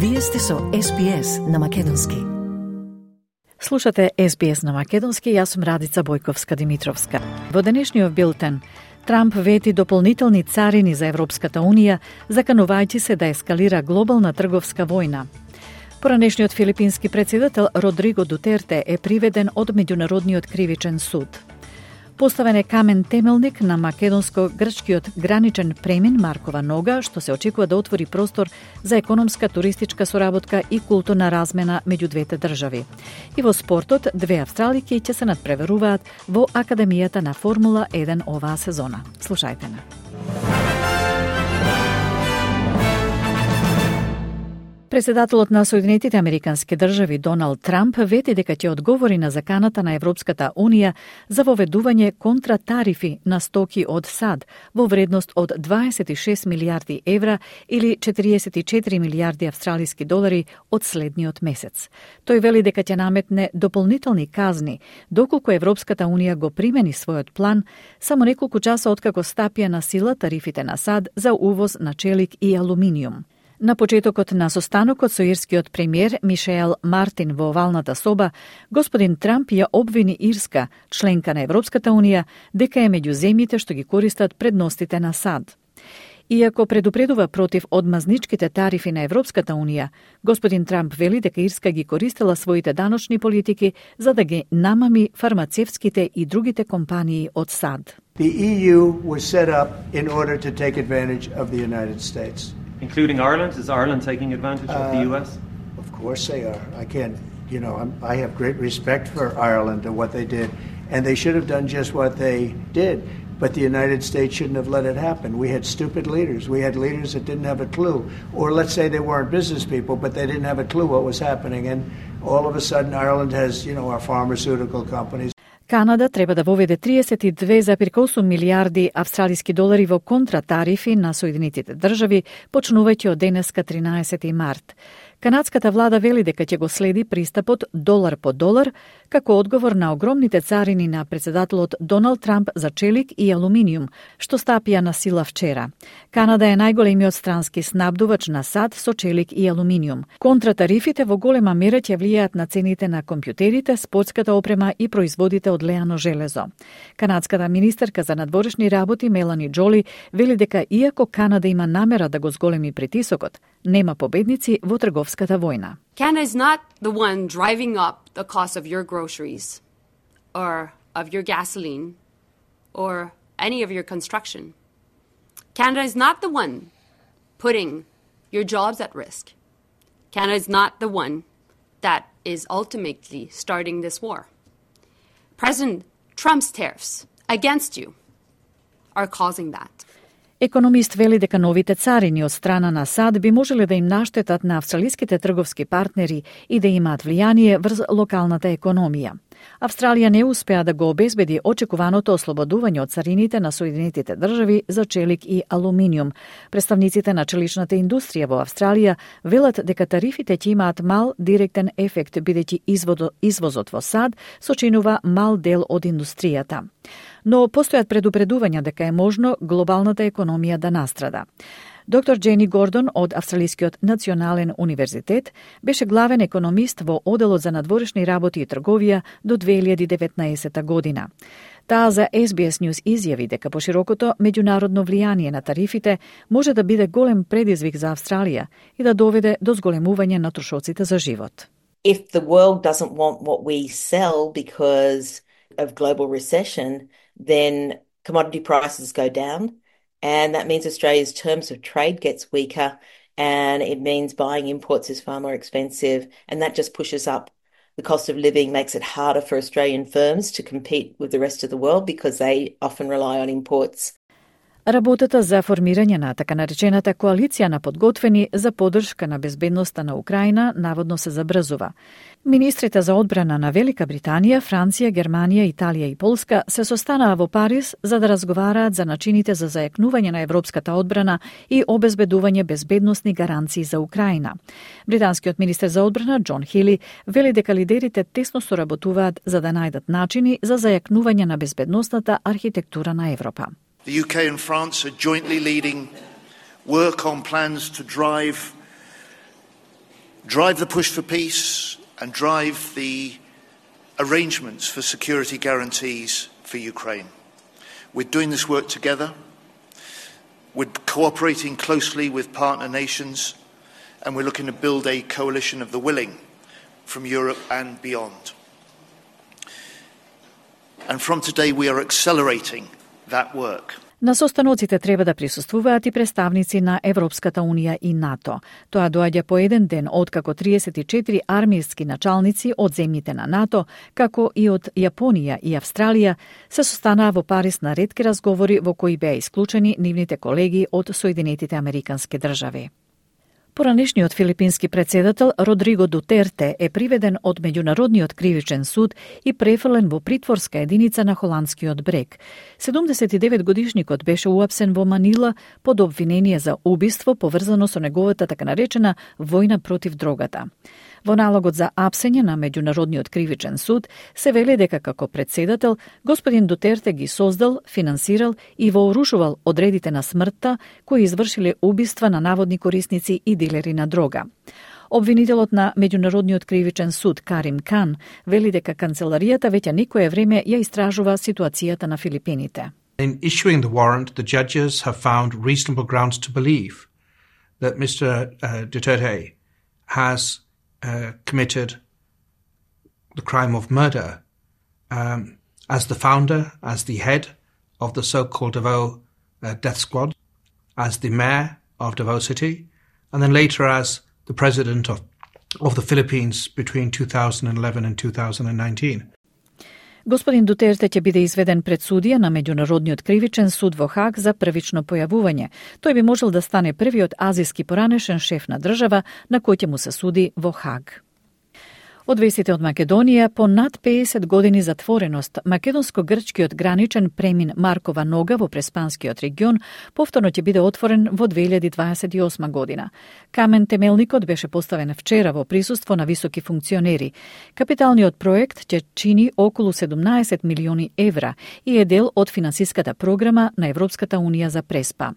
Вие сте со SBS на Македонски. Слушате SBS на Македонски, јас сум Радица Бојковска-Димитровска. Во денешниот билтен, Трамп вети дополнителни царини за Европската Унија, заканувајќи се да ескалира глобална трговска војна. Поранешниот филипински председател Родриго Дутерте е приведен од Меѓународниот кривичен суд. Поставен е камен темелник на македонско-грчкиот граничен премин Маркова нога, што се очекува да отвори простор за економска, туристичка соработка и културна размена меѓу двете држави. И во спортот, две австралики ќе се надпреверуваат во Академијата на Формула 1 оваа сезона. Слушајте на. Председателот на Соединетите Американски држави Доналд Трамп вети дека ќе одговори на заканата на Европската Унија за воведување контратарифи на стоки од САД во вредност од 26 милијарди евра или 44 милијарди австралиски долари од следниот месец. Тој вели дека ќе наметне дополнителни казни доколку Европската Унија го примени својот план само неколку часа откако стапија на сила тарифите на САД за увоз на челик и алуминиум. На почетокот на состанокот со ирскиот премиер Мишел Мартин во овалната соба, господин Трамп ја обвини Ирска, членка на Европската Унија, дека е меѓу земјите што ги користат предностите на САД. Иако предупредува против одмазничките тарифи на Европската Унија, господин Трамп вели дека Ирска ги користела своите даночни политики за да ги намами фармацевтските и другите компании од САД. The EU was set up in order to take advantage of the United States. Including Ireland? Is Ireland taking advantage of the US? Of course they are. I can't, I have great respect for Ireland and what they did, and they should have done just what they did, but the United States shouldn't have let it happen. We had stupid leaders. We had leaders that didn't have a clue, or let's say they weren't business people, but they didn't have a clue what was happening, and all of a sudden Ireland has, our pharmaceutical companies. Канада треба да воведе 32,8 милијарди австралиски долари во контратарифи на Соединетите држави, почнувајќи од денеска 13 март. Канадската влада вели дека ќе го следи пристапот долар по долар, како одговор на огромните царини на председателот Доналд Трамп за челик и алуминиум, што стапија на сила вчера. Канада е најголемиот странски снабдувач на САД со челик и алуминиум. Контратарифите во голема мера ќе влијаат на цените на компјутерите, спортската опрема и производите од леано железо. Канадската министерка за надворешни работи Мелани Джоли вели дека иако Канада има намера да го зголеми притисокот, нема победници во трговската војна. Canada is not the one driving up the cost of your groceries or of your gasoline or any of your construction. Canada is not the one putting your jobs at risk. Canada is not the one that is ultimately starting this war. President Trump's tariffs against you are causing that. Економист вели дека новите царини од страна на САД би можеле да им наштетат на австралиските трговски партнери и да имаат влијание врз локалната економија. Австралија не успеа да го обезбеди очекуваното ослободување од царините на Соединетите држави за челик и алуминиум. Представниците на челичната индустрија во Австралија велат дека тарифите ќе имаат мал директен ефект, бидејќи извозот во САД сочинува мал дел од индустријата. Но постојат предупредувања дека е можно глобалната економија да настрада. Доктор Джени Гордон од Австралискиот национален универзитет беше главен економист во Оделот за надворешни работи и трговија до 2019 година. Таа за SBS News изјави дека поширокото меѓународно влијание на тарифите може да биде голем предизвик за Австралија и да доведе до зголемување на трошоците за живот. If the world doesn't want what we sell because of global recession, then commodity prices go down, and that means Australia's terms of trade gets weaker, and it means buying imports is far more expensive, and that just pushes up the cost of living, makes it harder for Australian firms to compete with the rest of the world because they often rely on imports. Работата за формирање на така наречената коалиција на подготвени за поддршка на безбедноста на Украина наводно се забрзува. Министрите за одбрана на Велика Британија, Франција, Германија, Италија и Полска се состанаа во Париз за да разговараат за начините за зајакнување на европската одбрана и обезбедување безбедносни гаранции за Украина. Британскиот министер за одбрана Џон Хили вели дека лидерите тесно соработуваат за да најдат начини за зајакнување на безбедносната архитектура на Европа. The UK and France are jointly leading work on plans to drive drive the push for peace and drive the arrangements for security guarantees for Ukraine. We're doing this work together. We're cooperating closely with partner nations, and we're looking to build a coalition of the willing from Europe and beyond. And from today we are accelerating that work. На состаноците треба да присуствуваат и представници на Европската Унија и НАТО. Тоа доаѓа по еден ден откако 34 армијски началници од земјите на НАТО, како и од Јапонија и Австралија, се состанаа во Париз на ретки разговори во кои беа исклучени нивните колеги од Соединетите Американски држави. Поранешниот филипински председател Родриго Дутерте е приведен од Меѓународниот кривичен суд и префрлен во притворска единица на холандскиот брег. 79-годишникот беше уапсен во Манила под обвинение за убиство поврзано со неговата така наречена војна против дрогата. Во налогот за апсење на Меѓународниот кривичен суд се вели дека како председател господин Дутерте ги создал, финансирал и вооружувал одредите на смртта кои извршиле убиства на наводни корисници и дилери на дрога. Обвинителот на Меѓународниот кривичен суд Карим Кан вели дека канцеларијата веќе некое време ја истражува ситуацијата на Филипините. In issuing the warrant, the judges have found reasonable grounds to believe that Mr. Duterte has committed the crime of murder as the founder, as the head of the so-called Davao death squad, as the mayor of Davao City, and then later as the president of the Philippines between 2011 and 2019. Господин Дутерте ќе биде изведен пред судија на Меѓународниот кривичен суд во Хаг за првично појавување. Тој би можел да стане првиот азијски поранешен шеф на држава на кој ќе му се суди во Хаг. Од вестите од Македонија, по над 50 години затвореност, македонско-грчкиот граничен премин Маркова нога во Преспанскиот регион повторно ќе биде отворен во 2028 година. Камен темелникот беше поставен вчера во присуство на високи функционери. Капиталниот проект ќе чини околу 17 милиони евра и е дел од финансиската програма на Европската Унија за Преспа.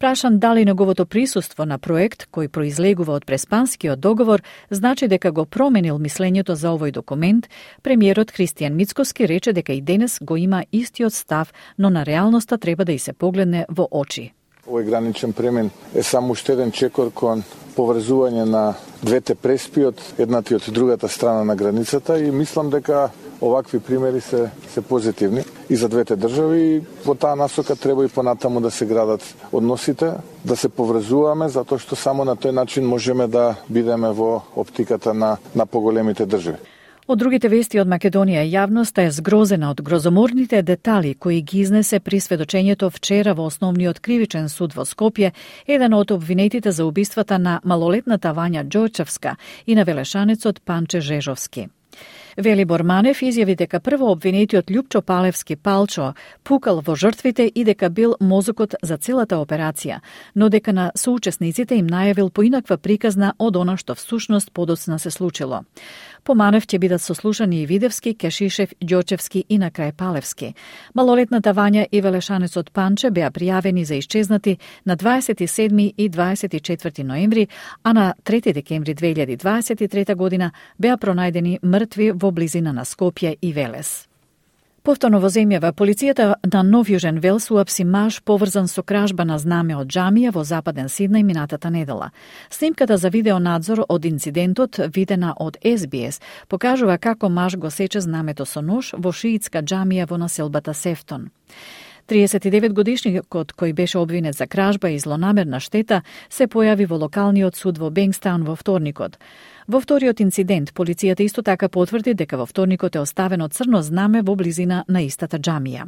Прашан дали неговото присуство на проект кој произлегува од Преспанскиот договор значи дека го променил мислењето за овој документ, премиерот Христијан Мицкоски рече дека и денес го има истиот став, но на реалноста треба да и се погледне во очи. Овој граничен премин е само уште еден чекор кон поврзување на двете преспи од едната и од другата страна на границата и мислам дека овакви примери се позитивни и за двете држави и во таа насока треба и понатаму да се градат односите, да се поврзуваме затоа што само на тој начин можеме да бидеме во оптиката на поголемите држави. Од другите вести од Македонија, јавноста е згрозена од грозоморните детали кои ги изнесе при сведочењето вчера во Основниот кривичен суд во Скопје, еден од обвинетите за убиствата на малолетната Вања Ѓојчевска и на велешанецот Панче Жежовски. Велибор Манев изјави дека прво обвинетиот Љупчо Палевски Палчо пукал во жртвите и дека бил мозокот за целата операција, но дека на соучесниците им најавил поинаква приказна од она што всушност подоцна се случило. По Манев ќе бидат сослушани и Видевски, Кешишев, Ѓочевски и на крај Палевски. Малолетната Вања и велешанецот Панче беа пријавени за исчезнати на 27 и 24 ноември, а на 3 декември 2023 година беа пронајдени мртви во близина на Скопје и Велес. Повторно во земјава, полицијата на Нов Јужен Велс уапси маж поврзан со кражба на знаме од џамија во западен Сиднеј минатата недела. Снимката за видеонадзор од инцидентот, видена од СБС, покажува како маж го сече знамето со нож во шиитска џамија во населбата Сефтон. 39-годишникот кој беше обвинет за кражба и злонамерна штета се појави во локалниот суд во Бенгстаун во вторникот. Во вториот инцидент, полицијата исто така потврди дека во вторникот е оставено црно знаме во близина на истата џамија.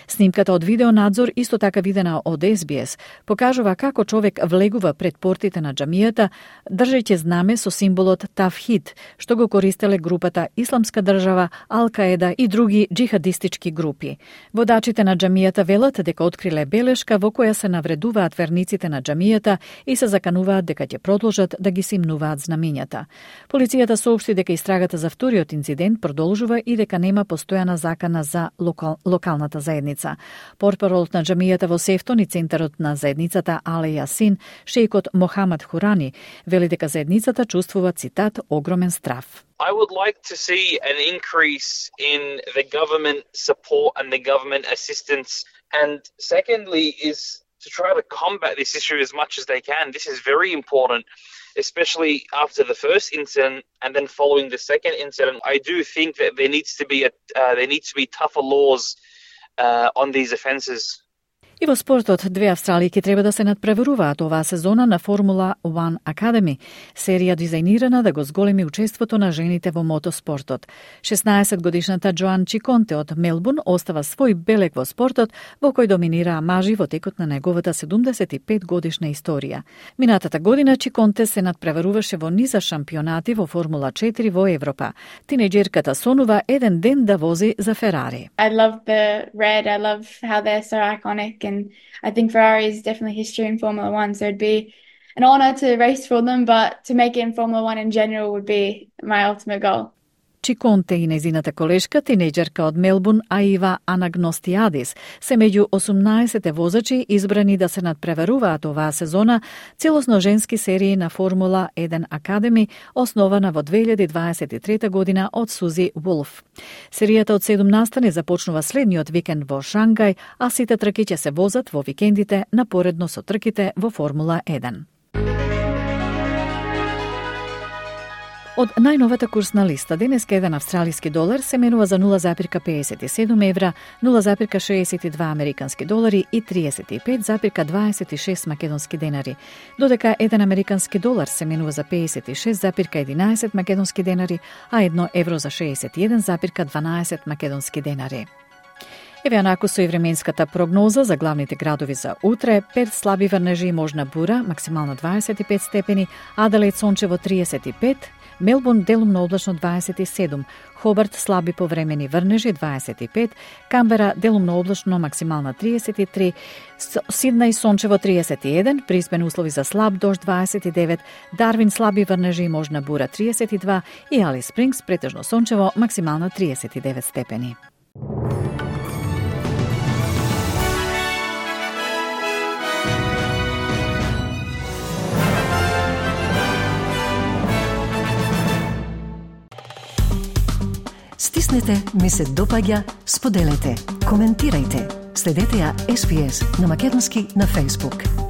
Снимката од видеонадзор, исто така видена од СБС, покажува како човек влегува пред портите на џамијата, држејќи знаме со символот Тавхид, што го користеле групата Исламска држава, Ал-Каеда и други џихадистички групи. Водачите на џамијата велат дека откриле белешка во која се навредуваат верниците на џамијата и се закануваат дека ќе продолжат да ги симнуваат знамењата. Полицијата соопшти дека истрагата за вториот инцидент продолжува и дека нема постојана закана за локалната заедница. Портпаролот на џамијата во Сефтон и центарот на заедницата Але Јасин, шејкот Мохамед Хурани, вели дека заедницата чувствува, цитат, огромен страф. I would like to see an increase in the government support and the government assistance. And secondly is to try to combat this issue as much as they can. This is very important, especially after the first incident and then following the second incident. I do think that there needs to be tougher laws on these offences. И во спортот, две австралијки треба да се надпреваруваат оваа сезона на Формула 1 Academy, серија дизајнирана да го зголеми учеството на жените во мотоспортот. 16-годишната Джоан Чиконте од Мелбурн остава свој белег во спортот, во кој доминираа мажи во текот на неговата 75-годишна историја. Минатата година Чиконте се надпреваруваше во низа шампионати во Формула 4 во Европа. Тинејџерката сонува еден ден да вози за Ферари. I love the red, I love how they're so iconic. And I think Ferrari is definitely history in Formula 1, so it'd be an honour to race for them, but to make it in Formula 1 in general would be my ultimate goal. Чиконте и незината колешка, тинејџерка од Мелбурн, Аива Анагностиадис, се меѓу 18 возачи избрани да се надпреваруваат оваа сезона целосно женски серии на Формула 1 Academy, основана во 2023 година од Сузи Вулф. Серијата од 7 настани започнува следниот викенд во Шангај, а сите трки ќе се возат во викендите напоредно со трките во Формула 1. Од најновата курсна листа, денеска еден австралиски долар се менува за 0,57 евра, 0,62 американски долари и 35,26 македонски денари, додека еден американски долар се менува за 56,11 македонски денари, а 1 евро за 61,12 македонски денари. Еве анаку со и временската прогноза за главните градови за утре: Перт слаби врнежи и можна бура, максимално 25 степени, Аделаид сончево 35, Мелбурн делумно облачно 27, Хобарт слаби повремени врнежи 25, Камбера делумно облачно максимална 33, Сиднеј сончево 31, Брисбен услови за слаб дожд 29, Дарвин слаби врнежи и можна бура 32 и Алис Спрингс претежно сончево максимално 39 степени. Стиснете, ми се допаѓа, споделете, коментирајте. Следете ја SPS на Македонски на Facebook.